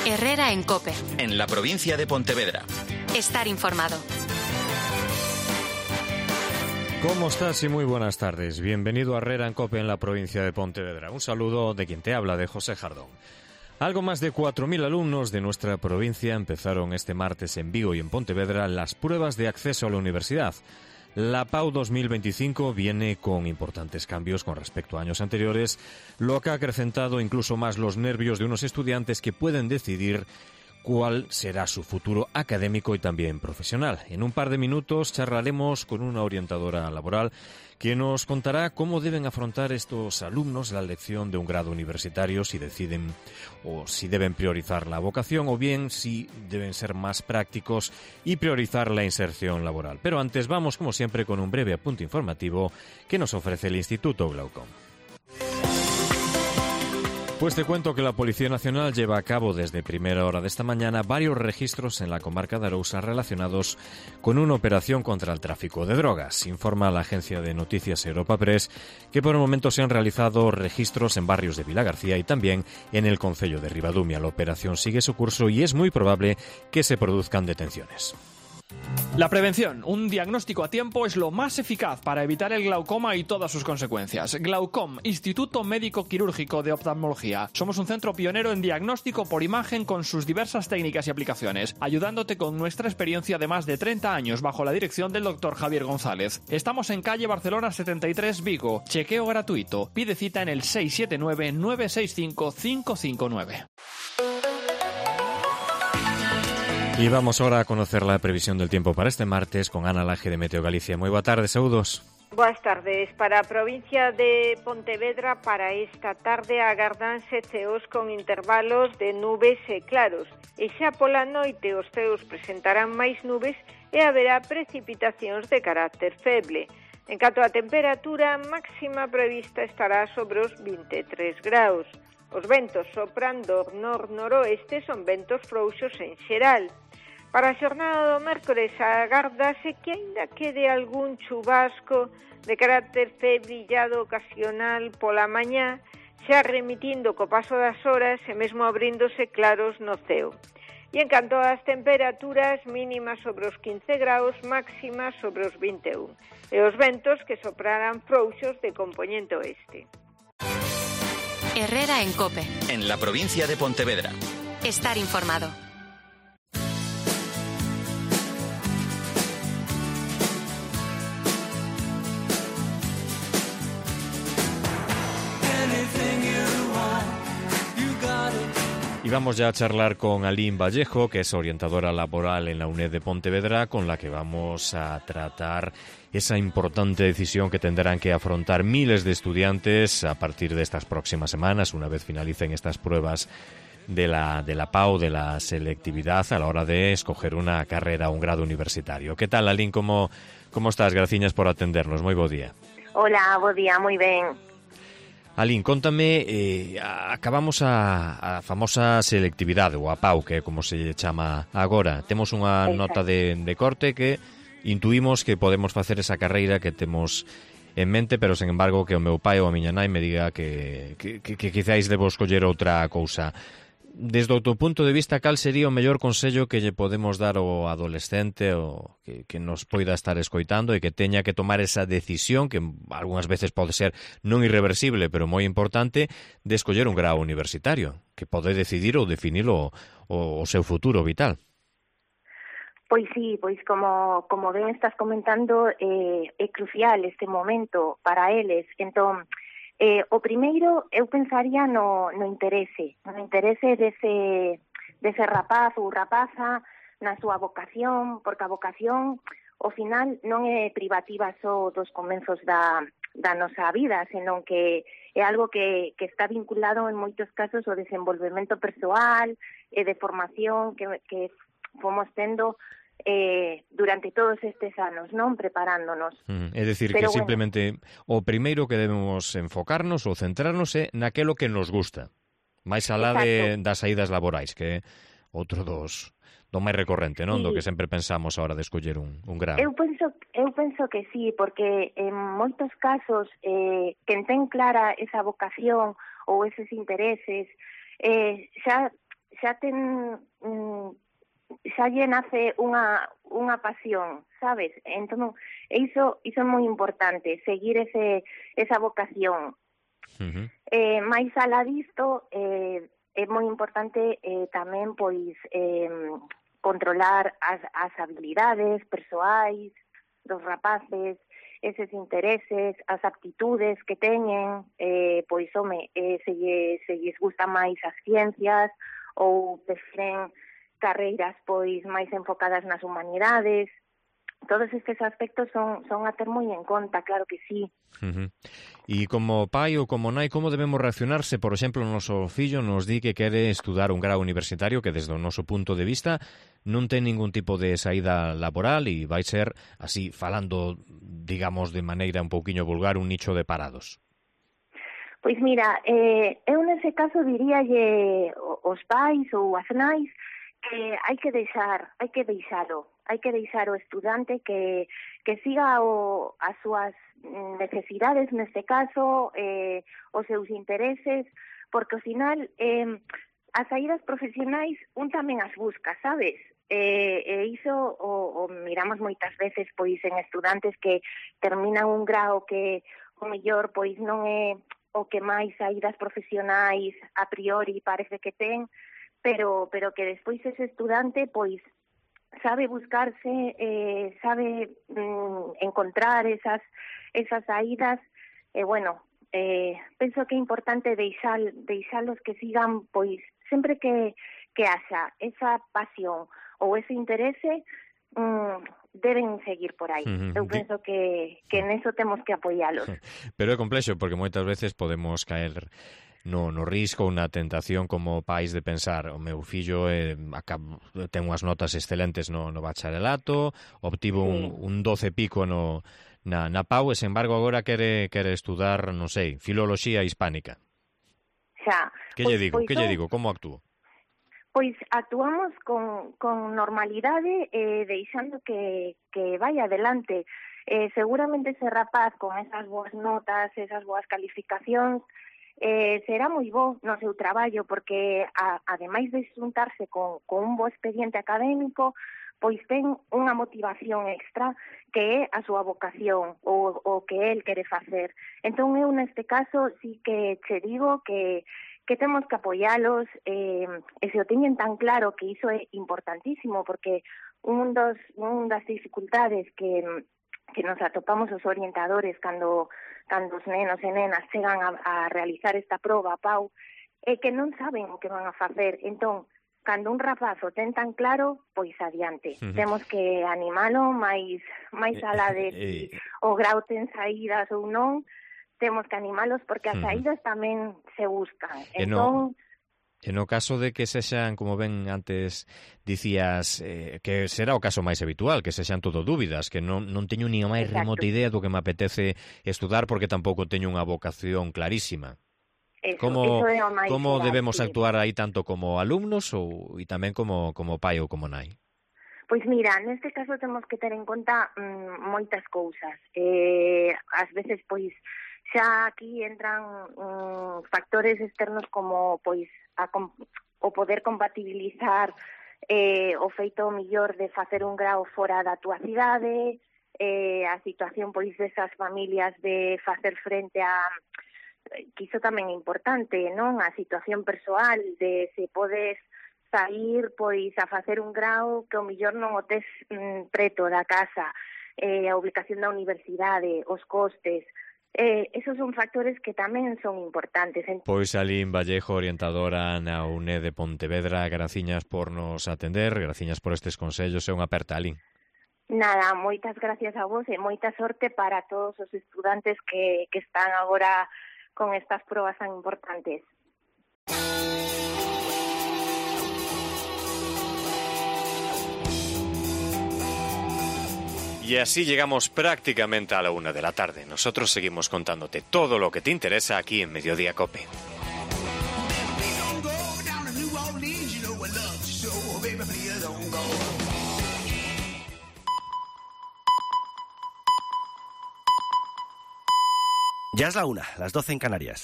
Herrera en COPE. En la provincia de Pontevedra. Estar informado. ¿Cómo estás? Y muy buenas tardes. Bienvenido a Herrera en COPE en la provincia de Pontevedra. Un saludo de quien te habla, de José Jardón. Algo más de 4.000 alumnos de nuestra provincia empezaron este martes en Vigo y en Pontevedra las pruebas de acceso a la universidad. La PAU 2025 viene con importantes cambios con respecto a años anteriores, lo que ha acrecentado incluso más los nervios de unos estudiantes que pueden decidir cuál será su futuro académico y también profesional. En un par de minutos charlaremos con una orientadora laboral que nos contará cómo deben afrontar estos alumnos la elección de un grado universitario, si deciden o si deben priorizar la vocación o bien si deben ser más prácticos y priorizar la inserción laboral. Pero antes vamos, como siempre, con un breve apunte informativo que nos ofrece el Instituto Glaucom. Pues te cuento que la Policía Nacional lleva a cabo desde primera hora de esta mañana varios registros en la comarca de Arousa relacionados con una operación contra el tráfico de drogas. Informa la agencia de noticias Europa Press que por el momento se han realizado registros en barrios de Vilagarcía y también en el concello de Ribadumia. La operación sigue su curso y es muy probable que se produzcan detenciones. La prevención, un diagnóstico a tiempo, es lo más eficaz para evitar el glaucoma y todas sus consecuencias. Glaucom, Instituto Médico Quirúrgico de Oftalmología. Somos un centro pionero en diagnóstico por imagen con sus diversas técnicas y aplicaciones, ayudándote con nuestra experiencia de más de 30 años bajo la dirección del Dr. Javier González. Estamos en calle Barcelona 73, Vigo. Chequeo gratuito. Pide cita en el 679-965-559. Y vamos ahora a conocer la previsión del tiempo para este martes con Ana Laje de Meteo Galicia. Muy boa tarde, saúdos. Boas tardes. Para a provincia de Pontevedra, para esta tarde agardanse ceos con intervalos de nubes e claros. E xa pola noite os ceos presentarán máis nubes e haberá precipitacións de carácter feble. En canto á temperatura, máxima prevista estará sobre os 23 graus. Os ventos soprando nor-noroeste son ventos frouxos en xeral. Para a xornada do mércores agardase que aínda quede algún chubasco de carácter febrillado ocasional pola mañá, xa remitindo co paso das horas e mesmo abríndose claros no ceo. E en canto ás temperaturas, mínimas sobre os 15 graus, máximas sobre os 21. E os ventos que soprarán frouxos de compoñente oeste. Herrera en COPE. En la provincia de Pontevedra. Estar informado. Y vamos ya a charlar con Aline Vallejo, que es orientadora laboral en la UNED de Pontevedra, con la que vamos a tratar esa importante decisión que tendrán que afrontar miles de estudiantes a partir de estas próximas semanas, una vez finalicen estas pruebas de la PAU, de la selectividad, a la hora de escoger una carrera o un grado universitario. ¿Qué tal, Aline? ¿Cómo estás? Graciñas por atendernos. Moi bo día. Hola, bo día, moi ben. Aline, contame, acabamos a famosa selectividade, ou a PAU, que é como se chama agora. Temos unha nota de corte que intuímos que podemos facer esa carreira que temos en mente, pero, sen embargo, que o meu pai ou a miña nai me diga que quizáis debo escoller outra cousa. Desde o teu punto de vista, cal sería o mellor consello que lle podemos dar ao adolescente o que nos poida estar escoitando e que teña que tomar esa decisión, que algunhas veces pode ser non irreversible, pero moi importante, de escoller un grao universitario, que pode decidir ou definir o seu futuro vital? Pois sí, pois como ben estás comentando, é crucial este momento para eles. Entón, o primeiro, eu pensaría no interese dese rapaz ou rapaza na súa vocación, porque a vocación, ao final, non é privativa só dos comenzos da nosa vida, senón que é algo que está vinculado en moitos casos ao desenvolvemento persoal e de formación que fomos tendo durante todos estes anos, non? Preparándonos. É dicir, que simplemente o primeiro que debemos enfocarnos ou centrarnos é naquelo que nos gusta, máis alá das saídas laborais, que é outro do máis recorrente, non? Sí. Do que sempre pensamos a hora de escoller un grado. Eu penso que sí, porque en moitos casos quen ten clara esa vocación ou eses intereses xa xa lle nace unha pasión, sabes? Entón, iso é moi importante, seguir esa vocación. Mais alá disto, é moi importante tamén, pois, controlar as habilidades persoais dos rapaces, eses intereses, as aptitudes que teñen, pois, se lles gusta máis as ciencias ou prefiren carreiras, pois, máis enfocadas nas humanidades. Todos estes aspectos son a ter moi en conta, claro que sí. E como pai ou como nai, como debemos reaccionarse? Por exemplo, o noso fillo nos di que quere estudar un grau universitario que, desde o noso punto de vista, non ten ningún tipo de saída laboral e vai ser, así, falando, digamos, de maneira un pouquiño vulgar, un nicho de parados. Pois mira, eu nese caso diríalle aos pais ou as nais que hai que deixalo o estudante que siga as súas necesidades, neste caso, os seus intereses, porque ao final as saídas profesionais un tamén as busca, sabes? E iso o miramos moitas veces, pois, en estudantes que terminan un grao que o mellor pois non é o que máis saídas profesionais a priori parece que ten, pero que despois ese estudante pois sabe buscarse, sabe encontrar esas saídas, e bueno, penso que é importante deixalos que sigan, pois sempre que haxa esa pasión ou ese interese, deben seguir por aí. Eu penso que neso temos que apoialos. Pero é complexo, porque moitas veces podemos caer no risco ou na tentación como pais de pensar: o meu fillo ten unhas notas excelentes no bacharelato, obtivo un 12 pico na PAU, e, sen embargo, agora quere estudar, non sei, filoloxía hispánica. Xa. Que lle digo? Como actúo? Pois actuamos con normalidade, deixando que vai adelante. Seguramente ese rapaz con esas boas notas, esas boas calificacións, será moi bo no seu traballo, porque ademais de xuntarse con un bo expediente académico, pois ten unha motivación extra que é a súa vocación, o que el quere facer. Entón eu neste caso sí que che digo que temos que apoialos, e se o teñen tan claro, que iso é importantísimo, porque das dificultades que nos atopamos os orientadores cando os nenos e nenas chegan a realizar esta proba, PAU, é que non saben o que van a facer. Entón, cando un rapaz o ten tan claro, pois adiante. Temos que animalo máis alá de si o grau ten saídas ou non, temos que animalos, porque as saídas tamén se buscan. Entón, E no caso de que sexan, como ben antes dicías, que será o caso máis habitual, que sexan todo dúbidas, que non teño ni a máis remota idea do que me apetece estudar, porque tampouco teño unha vocación clarísima. Como debemos actuar aí, tanto como alumnos e tamén como pai ou como nai? Pois mira, neste caso temos que ter en conta moitas cousas. Ás veces, pois, xa aquí entran factores externos como, pois, o poder compatibilizar o feito millor de facer un grao fora da túa cidade, a situación, pois, desas familias de facer frente a, que iso tamén é importante, non? A situación persoal de se podes sair, pois, a facer un grao que o millor non o tes preto da casa, a ubicación da universidade, os costes. Esos son factores que tamén son importantes. Pois Alín Vallejo, orientadora na UNED de Pontevedra, graciñas por nos atender, graciñas por estes consellos, e unha aperta, Alín. Nada, moitas gracias a vos e moita sorte para todos os estudantes que están agora con estas probas tan importantes. Y así llegamos prácticamente a la 1 de la tarde. Nosotros seguimos contándote todo lo que te interesa aquí en Mediodía COPE. Ya es la 1, las 12 en Canarias.